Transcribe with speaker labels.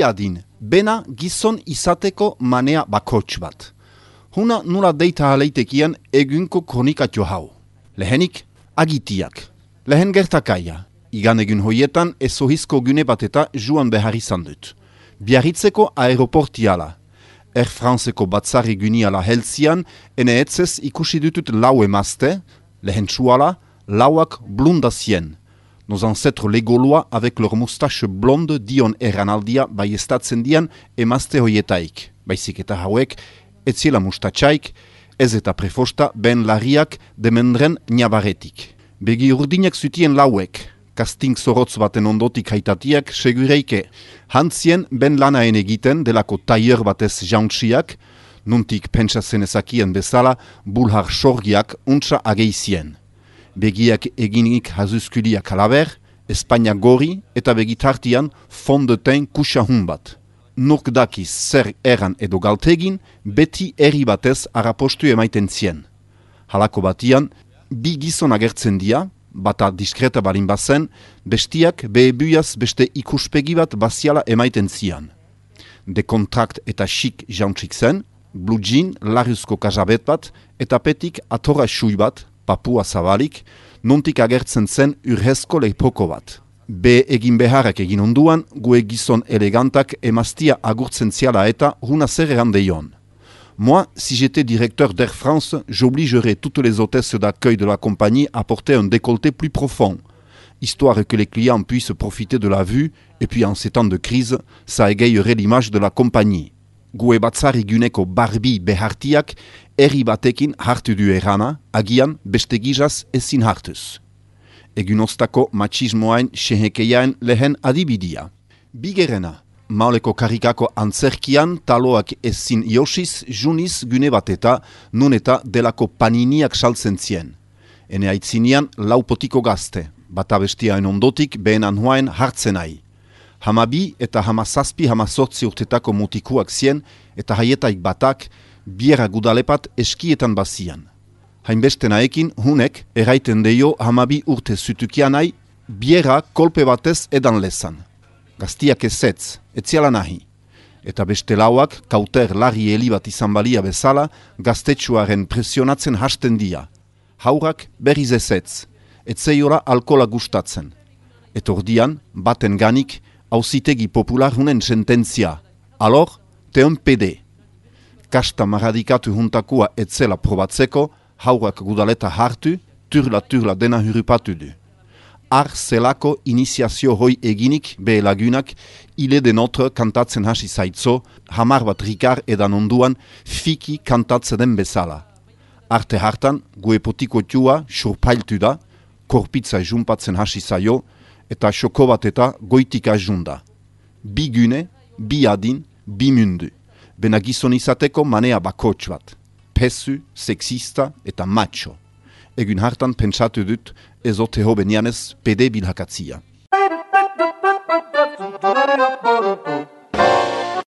Speaker 1: adin, bena gizon izateko manea bakots bat. Huna nula deita haleitekian egunko kronikatio hau. Lehenik, agitiak. Lehen gertakaia. Igan egun hoietan ezohizko gune bat eta joan behar izan dut. Biarritzeko aeroportiala. Air Franceko batzari guniala helzian, ene etzez ikusi dutut lau emazte, lehen txuala, lauak blundazien. Nos ancêtres les Gaulois avec leur moustache blonde dion erranaldia baiestatzen dian emazte hoietaik. Baizik eta hauek, etziela mustatxaik, ez eta prefosta ben larriak demendren nabaretik. Begi urdinak zutien lauek, casting zorotz baten ondotik haitatiak segureike. Hantzien ben lanaen egiten delako taier batez jauntxiak, nuntik pentsatzen ezakien bezala bulhar sorgiak untsa ageizien. Begiak eginik hazuzkuliak halaber, Espainia gori eta begitartian fondeten kusahun bat. Nork dakiz zer eran edo galtegin, beti herri batez arapostu emaiten zien. Halako batian, bi gizon agertzen dia, bata diskreta balin bazen, bestiak behebuiaz beste ikuspegi bat baziala emaiten zian. Dekontrakt eta xik jauntxik zen, blue jean, larruzko kajabet bat, eta petik atorra xui bat, papua zabalik, nontik agertzen zen urhezko lepoko bat. Be egin beharrak egin onduan, gue gizon elegantak emaztia agurtzen ziala eta huna zer erandeion. Moi, si j'étais directeur d'Air France, j'obligerais toutes les hôtesses d'accueil de la compagnie à porter un décolleté plus profond, histoire que les clients puissent profiter de la vue, et puis en ces temps de crise, ça égayerait l'image de la compagnie. Gue batzari guneko barbi behartiak, herri batekin hartu du errana, agian beste gizaz ezin hartuz. Egunostako machismoain sehekeiaen lehen adibidia. Bigerena, mauleko karikako antzerkian taloak ezin iosiz, juniz gune bat eta nun eta delako paniniak saltzen zien. Ene aitzinean laupotiko gazte, bata bestiaen ondotik behenan hoaen hartzen ai. Hamabi eta hamazazpi hamazortzi urtetako mutikuak zien eta haietaik batak biera gudalepat eskietan bazian. Hainbestenaekin hunek eraiten deio hamabi urte zutukianai biera kolpe batez edan lezan. Gaztiak ezetz, etziala nahi. Eta beste lauak kauter larri heli bat izan balia bezala gaztetsuaren presionatzen hasten dia. Haurak berriz ezetz, etzeiola alkola gustatzen. Etordian, baten ganik, auzitegi popular hunen sententzia. Alor, te un pede. Kasta maradikatu juntakua etzela probatzeko, haurak gudaleta hartu, turla dena hurupatu du. Ar zelako iniziazio hoi eginik behe lagunak, ile de notre kantatzen hasi zaitzo, hamar bat rikar edan onduan, fiki kantatzen den bezala. Arte hartan, gue potiko tua surpailtu da, korpitza jumpatzen hasi zaio, eta xoko bat eta goitika junda. Bi gune, bi adin, bi mundu. Bena gizon izateko manea bakots bat. Pesu, sexista eta macho. Egun hartan pentsatu dut ezote hobenianez pede bilhakatzia.